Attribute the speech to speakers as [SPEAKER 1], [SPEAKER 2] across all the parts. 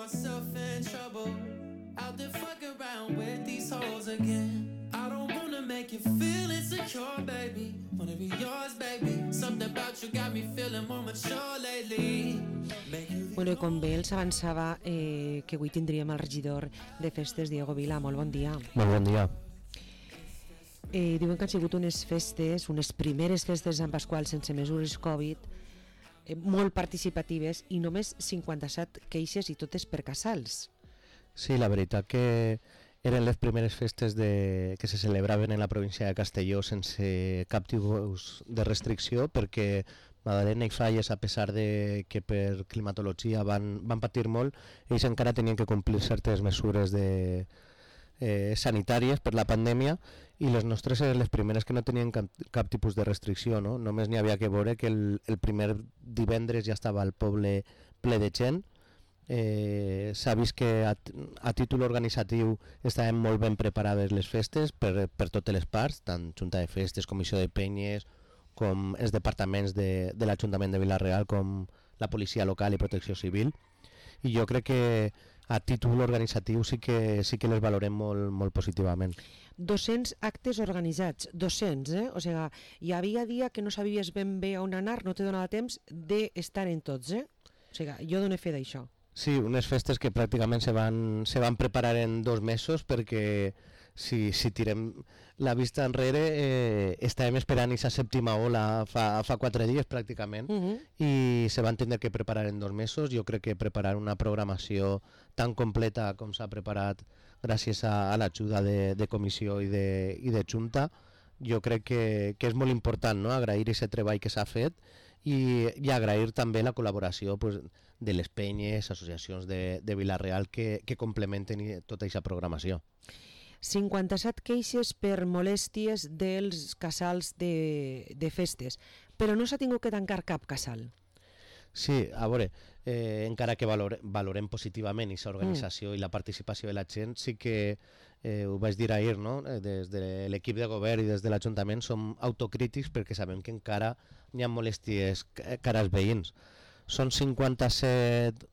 [SPEAKER 1] myself in trouble. Out there fuck around with these hoes again. I don't wanna make you feel insecure, baby. Wanna be yours, baby. Something about you got me feeling more mature lately.
[SPEAKER 2] Bueno, i com bé els avançava que avui tindríem el regidor de festes, Diego Vila. Molt bon dia.
[SPEAKER 3] Molt bon dia.
[SPEAKER 2] Diuen que han sigut unes festes, unes primeres festes de Sant Pasqual sense mesures Covid, molt participatives i només 57 queixes i totes per casals.
[SPEAKER 3] Sí, la veritat que eren les primeres festes que se celebraven en la província de Castelló sense cap tipus de restricció, perquè Madalena i Falles, a pesar de que per climatologia van patir molt, ells encara tenien que complir certes mesures sanitàries per la pandèmia, i les nostres eren les primeres que no tenien cap tipus de restricció, no? Només n'hi havia que veure que el primer divendres ja estava el poble ple de gent. S'ha vist que a títol organitzatiu estaven molt ben preparades les festes per totes les parts, tant Junta de Festes, Comissió de Penyes, com els departaments de l'Ajuntament de Vila-real, com la Policia Local i Protecció Civil, i jo crec que a títol organitzatiu sí que les valorem molt positivament.
[SPEAKER 2] 200 actes organitzats, 200, O sigui, hi havia dia que no sabies ben bé on anar, no te donava temps d'estar en tots, O sigui, jo dono fe d'això.
[SPEAKER 3] Sí, unes festes que pràcticament se van preparar en 2 mesos, perquè si tirem la vista enrere estàvem esperant aquesta sèptima ola fa 4 dies pràcticament, i se van tindre que preparar en 2 mesos. Jo crec que preparar una programació tan completa com s'ha preparat gràcies a l'ajuda de comissió i de Junta, jo crec que és molt important, no? Agrair aquest treball que s'ha fet i agrair també la col·laboració de les penyes, associacions de Vila-real que complementen tota aquesta programació.
[SPEAKER 2] 57 queixes per molèsties dels casals de festes, però no s'ha tingut que tancar cap casal.
[SPEAKER 3] Sí, a veure, encara que valorem positivament aquesta organització i la participació de la gent, sí que ho vaig dir ahir, no? Des de l'equip de govern i des de l'Ajuntament som autocrítics perquè sabem que encara hi ha molèsties cara als veïns. Són 57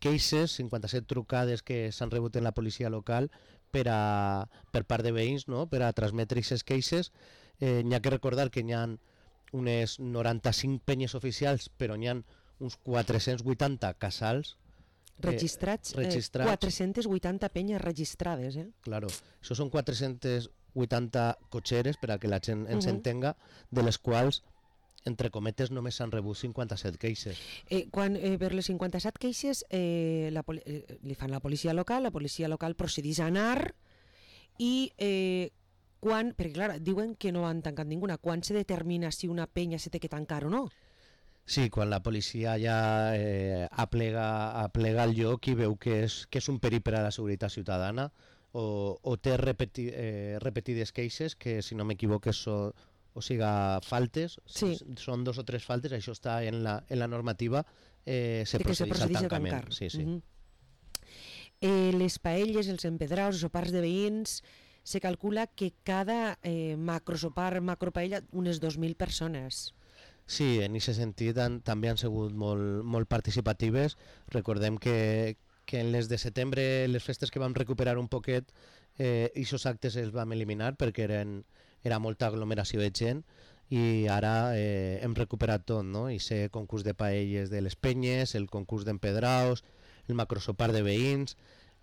[SPEAKER 3] queixes, 57 trucades que s'han rebut en la policia local per part de veïns, no? Per a transmetre aquestes queixes. N'hi ha que recordar que n'hi ha unes 95 penyes oficials, però n'hi ha uns 480 casals
[SPEAKER 2] registrats. 480 penyes registrades.
[SPEAKER 3] Claro, això són 480 cotxeres, per a que la gent ens entenga, de les quals, entre cometes, només s'han rebut 57 queixes.
[SPEAKER 2] Quan per les 57 queixes li fan la policia local procedeix a anar i perquè clar, diuen que no han tancat ninguna. Quan se determina si una penya se té que tancar o no?
[SPEAKER 3] Sí, quan la policia ja aplega el lloc i veu que és un perill per a la seguretat ciutadana o té repetides queixes, que si no m'equivoco faltes,
[SPEAKER 2] sí.
[SPEAKER 3] Són 2 o 3 faltes, això està en la normativa, se procedeix al tancament. Sí.
[SPEAKER 2] Les paelles, els empedraus, els sopars de veïns, se calcula que cada macrosopar, macropaella, unes 2.000 persones.
[SPEAKER 3] Sí, en aquest sentit també han sigut molt participatives. Recordem que en les de setembre, les festes que vam recuperar un poquet, aquests actes els vam eliminar perquè era molta aglomeració de gent, i ara hem recuperat tot, no? Aquest concurs de paelles de les penyes, el concurs d'empedraus, el macrosopar de veïns,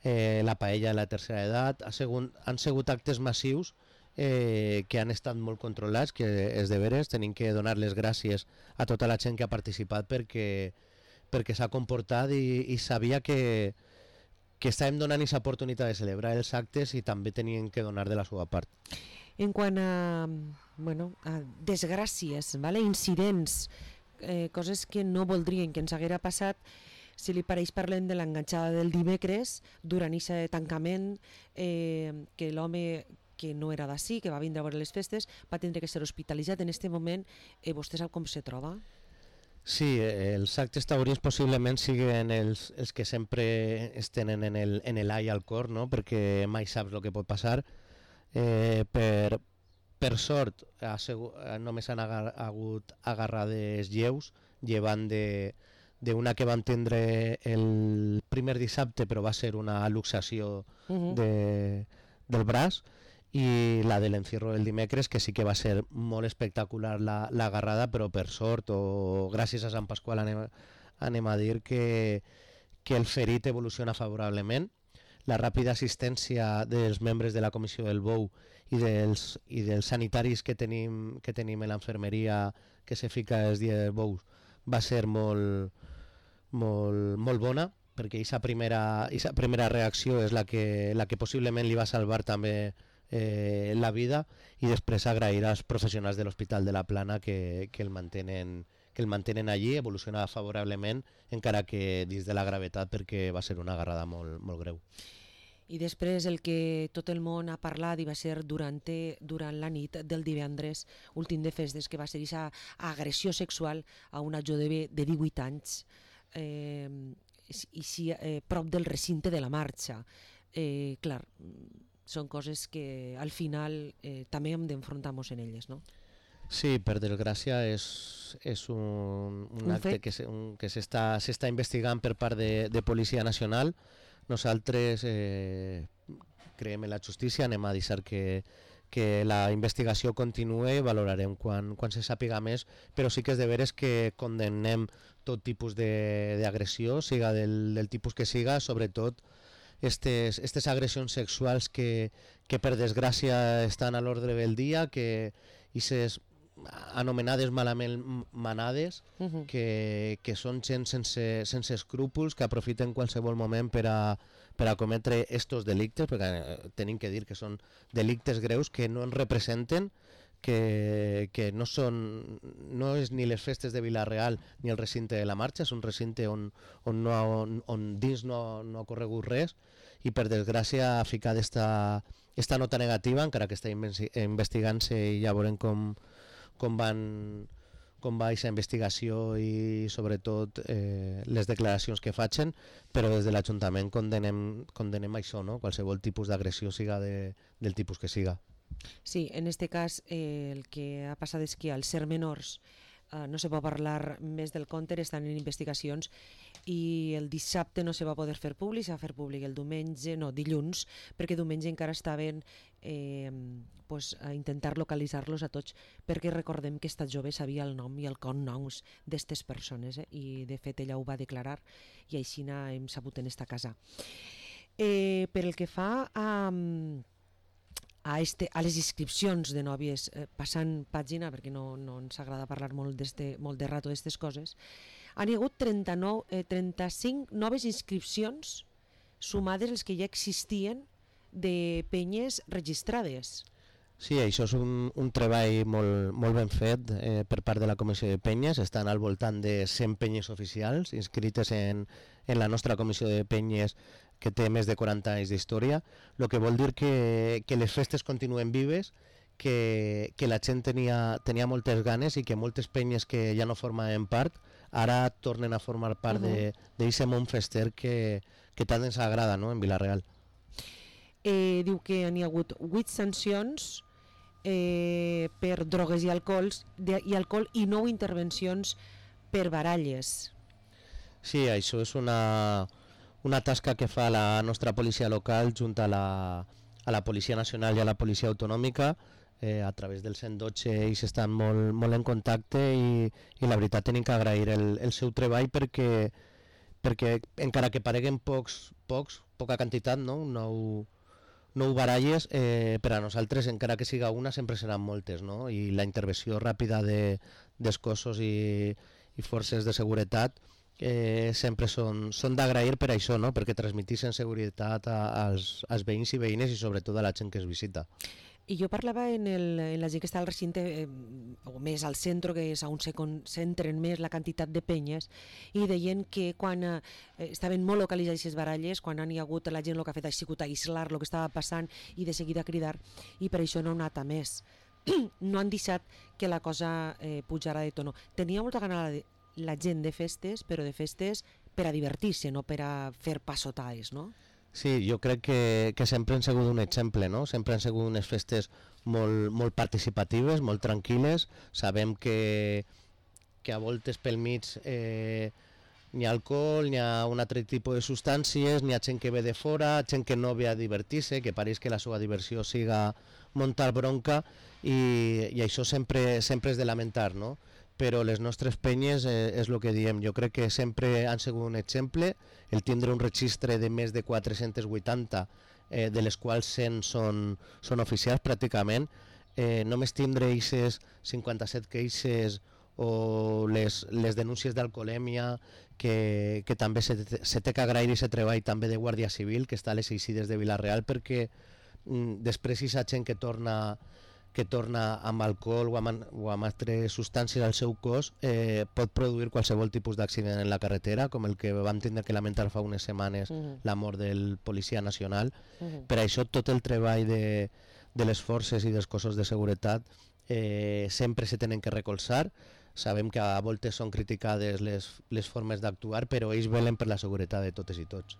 [SPEAKER 3] la paella de la tercera edat. Han sigut actes massius que han estat molt controlats, que és de veres, tenim que donar les gràcies a tota la gent que ha participat perquè s'ha comportat i sabia que estàvem donant aquesta oportunitat de celebrar els actes i també tenien que donar de la seva part.
[SPEAKER 2] En quant a desgràcies, incidents, coses que no voldrien que ens haguera passat, si li pareix parlem de l'enganxada del dimecres durant aquest tancament, que l'home que no era d'ací, que va vindre a veure les festes, va tindre que ser hospitalitzat. En aquest moment, vostè sap com se troba?
[SPEAKER 3] Sí, els actes taurins possiblement siguin els que sempre es tenen en l'ai al cor, no? Perquè mai saps el que pot passar. Per sort, només han hagut agarrades lleus, llevant d'una que vam tindre el primer dissabte, però va ser una luxació del braç, i la de l'encierro del dimecres, que sí que va ser molt espectacular la agarrada, però per sort o gràcies a Sant Pasqual anem a dir que el ferit evoluciona favorablement. La ràpida assistència dels membres de la comissió del Bou i dels sanitaris que tenim a l'enfermeria que se fica els dies bous va ser molt bona, perquè aquesta primera reacció és la que possiblement li va salvar també la vida, i després agrair als professionals de l'Hospital de la Plana que el mantenen allí, evoluciona favorablement, encara que dins de la gravetat, perquè va ser una agarrada molt greu.
[SPEAKER 2] I després el que tot el món ha parlat i va ser durant la nit del divendres, últim de festes, que va ser aquesta agressió sexual a una jove de 18 anys, prop del recinte de la marxa. Clar, són coses que al final també hem d'enfrontar-nos en elles, no?
[SPEAKER 3] Sí, per desgràcia és un acte que s'està investigant per part de Policia Nacional. Nosaltres creiem en la justícia, anem a deixar que la investigació continuï, valorarem quan se sàpiga més, però sí que és de veres que condemnem tot tipus d'agressió, siga del tipus que siga, sobretot aquestes agressions sexuals que per desgràcia estan a l'ordre del dia, que aquestes anomenades malament manades, que són gent sense escrúpols, que aprofiten qualsevol moment per a cometre estos delictes, perquè tenim que dir que són delictes greus que no ens representen, que no és ni les festes de Vila-real ni el recinte de la marxa, és un recinte on dins no ha corregut res, i per desgràcia ha ficat esta nota negativa, encara que està investigant-se, i ja veurem com va aquesta investigació i sobretot les declaracions que facin, però des de l'Ajuntament condenem això, no? Qualsevol tipus d'agressió, siga del tipus que siga.
[SPEAKER 2] Sí, en este cas el que ha passat és que als ser menors no se pot parlar més del compte, estan en investigacions, i el dissabte no se va poder fer públic, se va fer públic el dilluns, perquè diumenge encara estaven a intentar localitzar-los a tots, perquè recordem que esta jove sabia el nom i el cognoms d'aquestes persones, i de fet ella ho va declarar, i així hem sabut en esta casa. Per el que fa a les inscripcions de nòvies, passant pàgina, perquè no ens agrada parlar molt de rato d'aquestes coses, han hi hagut 35 noves inscripcions sumades les que ja existien de penyes registrades.
[SPEAKER 3] Sí, això és un treball molt ben fet per part de la Comissió de Penyes. Estan al voltant de 100 penyes oficials inscrites en la nostra Comissió de Penyes, que té més de 40 anys d'història, el que vol dir que les festes continuen vives, que la gent tenia moltes ganes, i que moltes penyes que ja no formaven part ara tornen a formar part d'aquest món fester que tant ens agrada, no?, en Vila-real.
[SPEAKER 2] Diu que n'hi ha hagut 8 sancions per drogues i alcohol i 9 intervencions per baralles.
[SPEAKER 3] Sí, això és una tasca que fa la nostra policia local junt a la Policia Nacional i a la Policia Autonòmica. A través del 112 ells estan molt en contacte, i la veritat tenim que agrair el seu treball, perquè encara que pareguen poca quantitat, no? 9 baralles, per a nosaltres, encara que siga una, sempre seran moltes, no? I la intervenció ràpida dels cossos i forces de seguretat sempre són d'agrair per això, no? Perquè transmetixen seguretat als veïns i veïnes, i sobretot a la gent que es visita.
[SPEAKER 2] I jo parlava en la gent que està al recinte, o més al centre, que és on se concentren més la quantitat de penyes, i deien que quan estaven molt localitzades aquestes baralles, quan han hi hagut la gent el que ha fet ha sigut aïslar el que estava passant i de seguida cridar, i per això no han anat a més. No han deixat que la cosa pujara de tono. Tenia molta gana la gent de festes, però de festes per a divertir-se, no per a fer passotades, no?
[SPEAKER 3] Sí, jo crec que sempre han sigut un exemple, no? Sempre han sigut unes festes molt participatives, molt tranquil·les. Sabem que a voltes pel mig ni alcohol, ni a un altre tipus de substàncies, ni a gent que ve de fora, gent que no ve a divertir-se, que pareix que la seva diversió siga muntar bronca, i això sempre és de lamentar, no? Però les nostres penyes és el que diem, jo crec que sempre han sigut un exemple, el tindre un registre de més de 480, de les quals 100 són oficials pràcticament, només tindre aquestes 57 queixes o les denúncies d'alcoholèmia, que també se té que agrair i se treball també de Guàrdia Civil, que està a les Eixides de Vila-real, perquè després aquesta gent que torna amb alcohol o amb altres substàncies al seu cos pot produir qualsevol tipus d'accident en la carretera, com el que vam tindre que lamentar fa unes setmanes, la mort del policia nacional. Per això tot el treball de les forces i dels cossos de seguretat sempre se tenen que recolzar. Sabem que a voltes són criticades les formes d'actuar, però ells velen per la seguretat de totes i tots.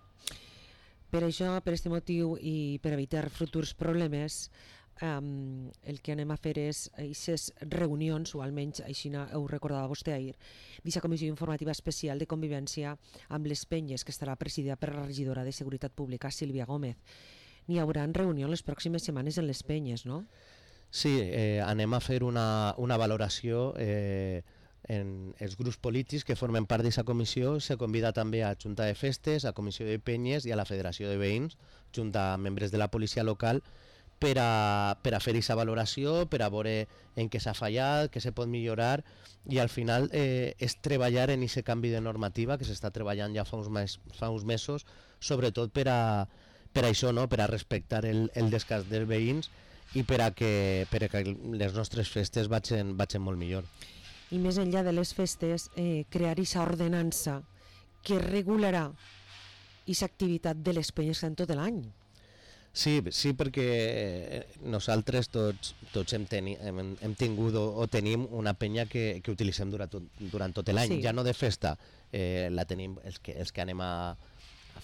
[SPEAKER 2] Per això, per aquest motiu i per evitar futurs problemes, el que anem a fer és aquestes reunions, o almenys així ho recordava vostè ahir, d'aquesta comissió informativa especial de convivència amb les penyes, que estarà presidida per la regidora de Seguretat Pública, Sílvia Gómez. N'hi haurà reunió les pròximes setmanes en les penyes, no?
[SPEAKER 3] Sí, anem a fer una valoració en els grups polítics que formen part d'aquesta comissió. Se convida també a Junta de Festes, a Comissió de Penyes i a la Federació de Veïns, junt a membres de la policia local, per a fer aquesta valoració, per a veure en què s'ha fallat, què se pot millorar, i al final és treballar en aquest canvi de normativa que s'està treballant ja fa uns mesos, sobretot per a això, no? Per a respectar el descans dels veïns i per a que les nostres festes vagin molt millor.
[SPEAKER 2] I més enllà de les festes, crear aquesta ordenança que regularà aquesta activitat de les penyes en tot l'any.
[SPEAKER 3] Sí, perquè nosaltres tots hem tingut o tenim una penya que utilitzem durant tot l'any, ja no de festa, la tenim els que anem a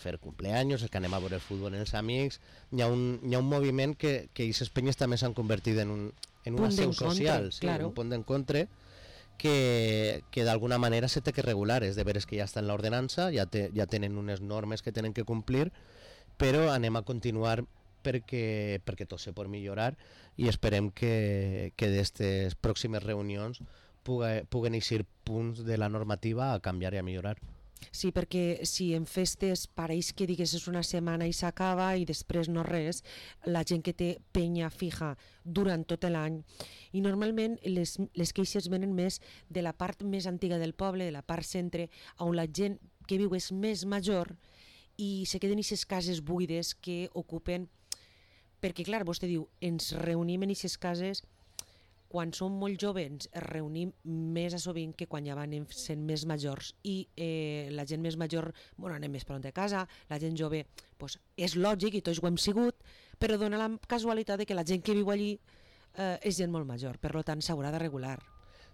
[SPEAKER 3] fer cumpleaños, els que anem a veure el futbol amb els amics. Hi ha un moviment que aquestes penyes també s'han convertit en una seu social, un punt d'encontre que d'alguna manera se té que regular. És de veres que ja està en l'ordenança, ja tenen unes normes que tenen que complir, però anem a continuar perquè tot se pot millorar, i esperem que d'aquestes pròximes reunions puguen eixir punts de la normativa a canviar i a millorar.
[SPEAKER 2] Sí, perquè si en festes pareix que digues és una setmana i s'acaba i després no res, la gent que té penya fija durant tot l'any, i normalment les queixes venen més de la part més antiga del poble, de la part centre, on la gent que viu és més major i se queden aquestes cases buides que ocupen, perquè clar, vostè diu, ens reunim en aquestes cases. Quan som molt joves es reunim més a sovint que quan ja van sent més majors, i la gent més major anem més pront a casa, la gent jove és lògic i tots ho hem sigut, però dona la casualitat de que la gent que viu allí és gent molt major, per tant s'haurà de regular.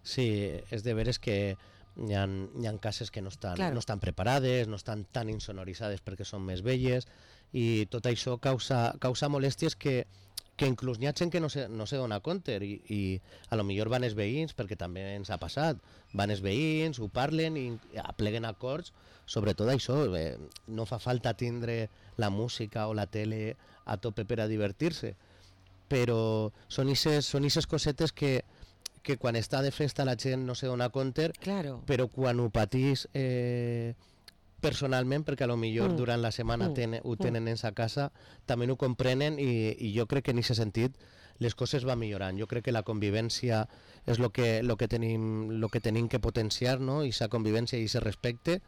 [SPEAKER 3] Sí, és de veres que hi ha cases que no estan preparades, no estan tan insonoritzades perquè són més velles, i tot això causa molèsties que inclús n'hi ha gent que no se dona compte, i a lo millor van els veïns, perquè també ens ha passat, van els veïns, ho parlen i apleguen acords. Sobretot això, no fa falta tindre la música o la tele a tope per a divertir-se, però són aquestes cosetes que quan està de festa la gent no se dona compte, però quan ho patís personalment, perquè a lo millor durant la setmana ho tenen en sa casa, també ho comprenen, i jo crec que en aquest sentit les coses van millorant. Jo crec que la convivència és el que tenim que potenciar, no? I sa convivència i ese respecte,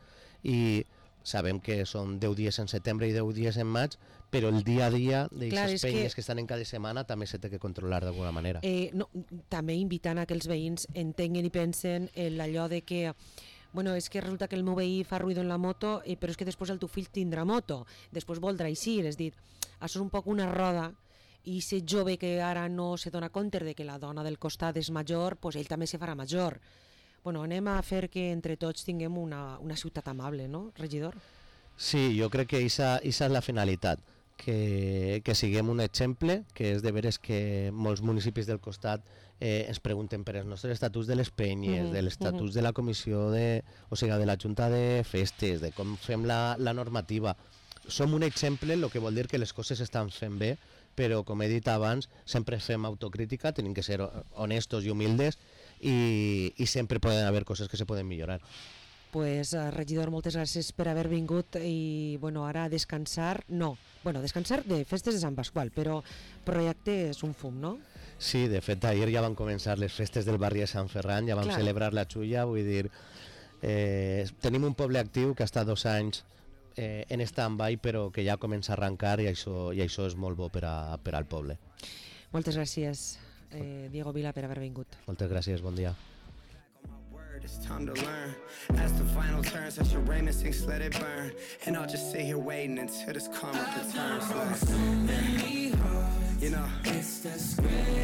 [SPEAKER 3] i sabem que són 10 dies en setembre i 10 dies en maig, però el dia a dia d'aquestes penyes que estan en cada setmana també s'ha de controlar d'alguna manera.
[SPEAKER 2] També invitant a que els veïns entenguen i pensen en allò de que és que resulta que el meu veí fa ruïdo en la moto, però és que després el teu fill tindrà moto, després voldrà eixir, és dir, això és un poc una roda, i ser jove que ara no se dona compte de que la dona del costat és major, ell també se farà major. Anem a fer que entre tots tinguem una ciutat amable, no, regidor?
[SPEAKER 3] Sí, jo crec que aquesta és la finalitat, que siguem un exemple, que és de veres que molts municipis del costat ens pregunten per els nostres estatuts de les penyes, de l'estatus de la comissió de la Junta de Festes, de com fem la normativa. Som un exemple, el que vol dir que les coses estan fent bé, però com he dit abans, sempre fem autocrítica, tenim que ser honestos i humildes i sempre poden haver coses que se poden millorar.
[SPEAKER 2] Pues, regidor, moltes gràcies per haver vingut i ara a descansar, descansar de festes de Sant Pasqual, però projecte és un fum, no?
[SPEAKER 3] Sí, de fet, ahir ja van començar les festes del barri de Sant Ferran, ja vam celebrar la Xulla, vull dir, tenim un poble actiu que ha estat 2 anys en stand-by, però que ja comença a arrencar i això és molt bo per al poble.
[SPEAKER 2] Moltes gràcies, Diego Vila, per haver vingut.
[SPEAKER 3] Moltes gràcies, bon dia.
[SPEAKER 1] It's time to learn. As the final turns, as your Raymond sings, let it burn. And I'll just sit here waiting until this karma returns. Like, you know, it's the script.